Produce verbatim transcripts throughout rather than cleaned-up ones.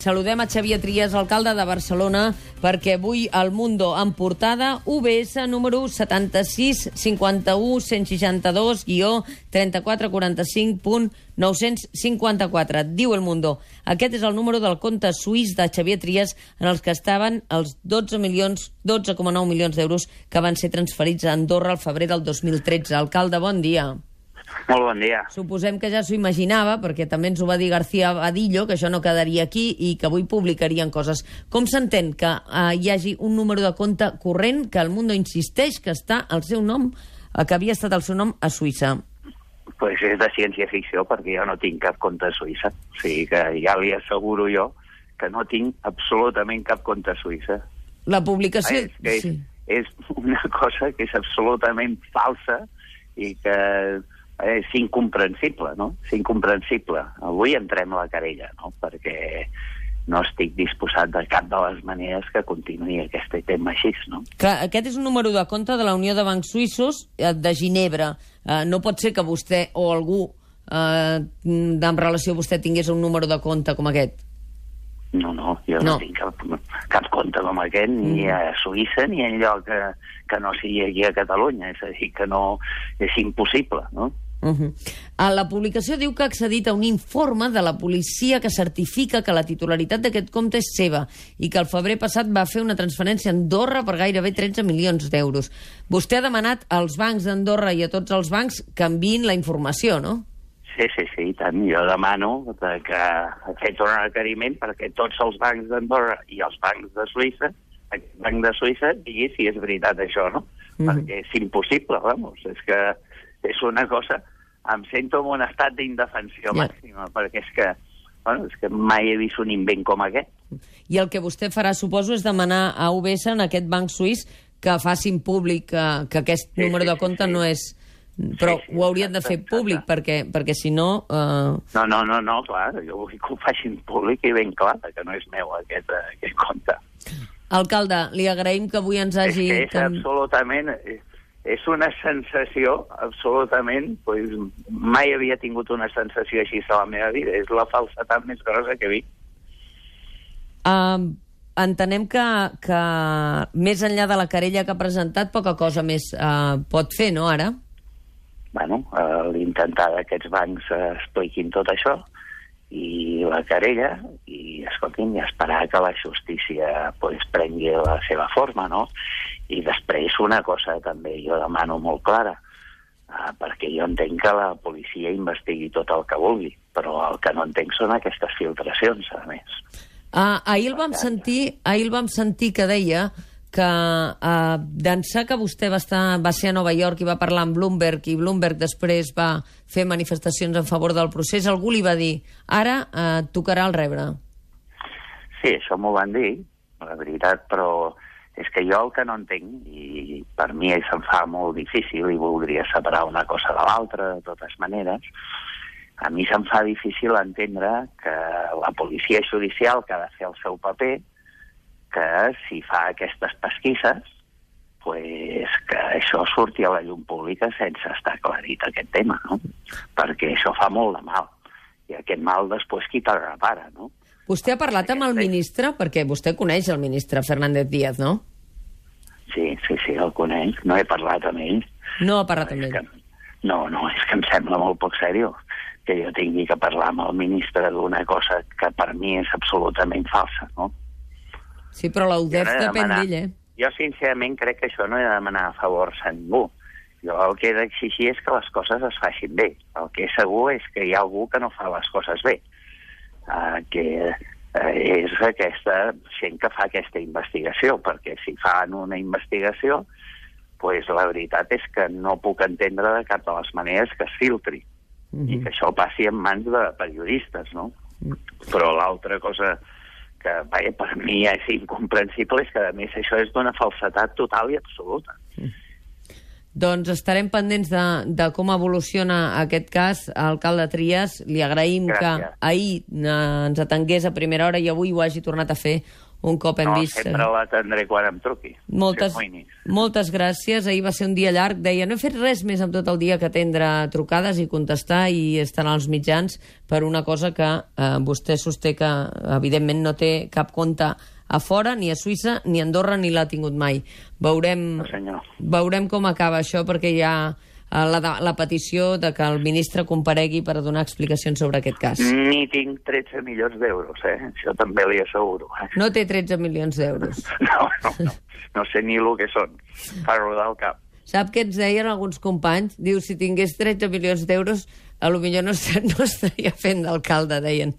Saludem a Xavier Trias, alcalde de Barcelona, perquè avui al Mundo en portada U B S número setanta-sis cinquanta-u cent seixanta-dos guió trenta-quatre quaranta-cinc punt nou-cents cinquanta-quatre. Diu El Mundo: aquest és el número del compte suís de Xavier Trias en els que estaven els dotze milions, dotze coma nou milions d'euros que van ser transferits a Andorra al febrer del dos mil tretze. Alcalde, bon dia. Molt bon dia. Suposem que ja s'ho imaginava, perquè també ens ho va dir García Badillo, que això no quedaria aquí i que avui publicarien coses. Com s'entén que eh, hi hagi un número de compte corrent que el Mundo insisteix que està al seu nom, eh, que havia estat el seu nom a Suïssa? Pues és de ciència-ficció, perquè jo no tinc cap compte a Suïssa. O sigui que ja li asseguro jo que no tinc absolutament cap compte a Suïssa. La publicació... És, que és, sí. és una cosa que és absolutament falsa i que... és incomprensible, no? És incomprensible. Avui entrem a la querella, no? Perquè no estic disposat de cap de les maneres que continuï aquest tema així, no? Clar, aquest és un número de compte de la Unió de Bancs Suïssos de Ginebra. Eh, no pot ser que vostè o algú eh, en relació a vostè tingués un número de compte com aquest. No, no, jo no, no tinc cap, cap compte com aquest, ni mm. a Suïssa ni enlloc que, que no sigui aquí a Catalunya. És a dir, que no... és impossible, no? Uh -huh. A la publicació diu que ha accedit a un informe de la policia que certifica que la titularitat d'aquest compte és seva i que el febrer passat va fer una transferència a Andorra per gairebé tretze milions d'euros. Vostè ha demanat als bancs d'Andorra i a tots els bancs que enviïn la informació, no? Sí, sí, sí, i tant. Jo demano que ha fet un requeriment perquè tots els bancs d'Andorra i els bancs de Suïssa, aquest banc de Suïssa, digui si és veritat això, no? Mm. Perquè és impossible, vamos, és que és una cosa... Em sento en un estat d'indefensió yeah. màxima, perquè és que, bueno, és que mai he vist un invent com aquest. I el que vostè farà, suposo, és demanar a U B S, en aquest banc suís, que facin públic que, que aquest sí, número sí, de compte sí, sí. no és... Però sí, sí, ho haurien de fer públic, perquè, perquè si no... Uh... No, no, no, no, clar, jo vull que ho facin públic i ben clar, que no és meu aquest, aquest compte. Alcalde, li agraïm que avui ens hagi... És que és absolutament... És una sensació absolutament... Pues, mai havia tingut una sensació així a la meva vida. És la falsetat més grossa que he vist. Uh, entenem que, que més enllà de la querella que ha presentat, poca cosa més uh, pot fer, no, ara? Bueno, uh, l'intentar que aquests bancs uh, expliquin tot això i la querella i, escolti'm, i esperar que la justícia pues, prengui la seva forma, no? I després una cosa també jo demano molt clara, uh, perquè jo entenc que la policia investigui tot el que vulgui, però el que no entenc són aquestes filtracions, a més. Uh, ahir, el vam sentir, ahir el vam sentir que deia que uh, d'ençà que vostè va, estar, va ser a Nova York i va parlar amb Bloomberg i Bloomberg després va fer manifestacions en favor del procés, algú li va dir ara uh, tocarà el rebre. Sí, això m'ho van dir, la veritat, però és que jo el que no entenc, i per mi se'm fa molt difícil i voldria separar una cosa de l'altra, de totes maneres, a mi se'm fa difícil entendre que la policia judicial que ha de fer el seu paper, que si fa aquestes pesquisses, pues, que això surti a la llum pública sense estar aclarit aquest tema, no? Perquè això fa molt de mal. I aquest mal després qui te'l repara, no? Vostè ha parlat amb el ministre? Perquè vostè coneix el ministre Fernández Díaz, no? Sí, sí, sí, el coneix. No he parlat amb ell. No ha parlat amb ell? Que, no, no, és que em sembla molt poc seriós que jo tingui que parlar amb el ministre d'una cosa que per mi és absolutament falsa, no? Sí, però la U D E F no depèn d'ell, eh? Jo, sincerament, crec que això no he de demanar favors a ningú. Jo el que he d'exigir és que les coses es facin bé. El que és segur és que hi ha algú que no fa les coses bé. Uh, que uh, és aquesta gent que fa aquesta investigació, perquè si fan una investigació, pues la veritat és que no puc entendre de cap de les maneres que es filtri, mm-hmm. i que això passi en mans de periodistes, no? Mm. Però l'altra cosa que vaja, per mi és incomprensible és que, a més, això és d'una falsetat total i absoluta. Mm. Doncs estarem pendents de, de com evoluciona aquest cas. Alcalde Trias, li agraïm Gràcies. que ahir eh, ens atengués a primera hora i avui ho hagi tornat a fer un cop hem no, vist... sempre l'atendré quan em truqui. Moltes, moltes gràcies. Ahir va ser un dia llarg. Deia, no he fet res més amb tot el dia que atendre trucades i contestar i estar als mitjans per una cosa que eh, vostè sosté que, evidentment, no té cap compte a fora, ni a Suïssa, ni a Andorra, ni l'ha tingut mai. Veurem, no, veurem com acaba això, perquè hi ha la, la petició de que el ministre comparegui per donar explicacions sobre aquest cas. Ni tinc tretze milions d'euros, eh? Això també li asseguro. Eh? No té tretze milions d'euros. No, no, no. No sé ni el que són. Fa rodar el cap. Sap què ens deien alguns companys? Diu, si tingués tretze milions d'euros, a lo millor no, no estaria fent d'alcalde, deien.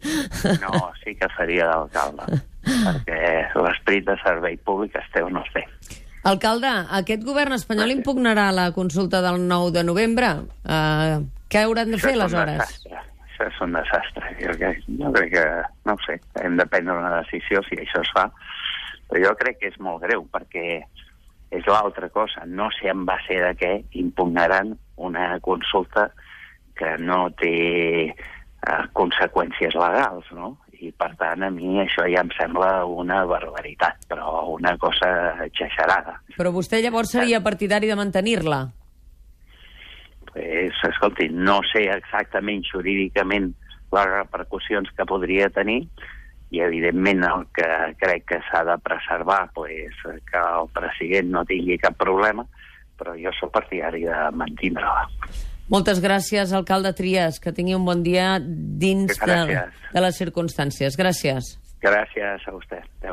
No, sí que faria d'alcalde, perquè l'esperit de servei públic es té o no es té. Alcalde, aquest govern espanyol impugnarà la consulta del nou de novembre. Uh, què hauran de fer, aleshores? Això és un desastre. Jo crec, jo crec que, no ho sé, hem de prendre una decisió si això es fa, però jo crec que és molt greu, perquè és l'altra cosa. No sé en base de què impugnaran una consulta que no té eh, conseqüències legals, no? I, per tant, a mi això ja em sembla una barbaritat, però una cosa exagerada. Però vostè llavors seria partidari de mantenir-la? Pues, escolti, no sé exactament jurídicament les repercussions que podria tenir i, evidentment, el que crec que s'ha de preservar, pues, que el president no tingui cap problema, però jo soc partidari de mantenir-la. Moltes gràcies, alcalde Trias. Que tingui un bon dia dins de, de les circumstàncies. Gràcies. Gràcies a vostè. Adéu.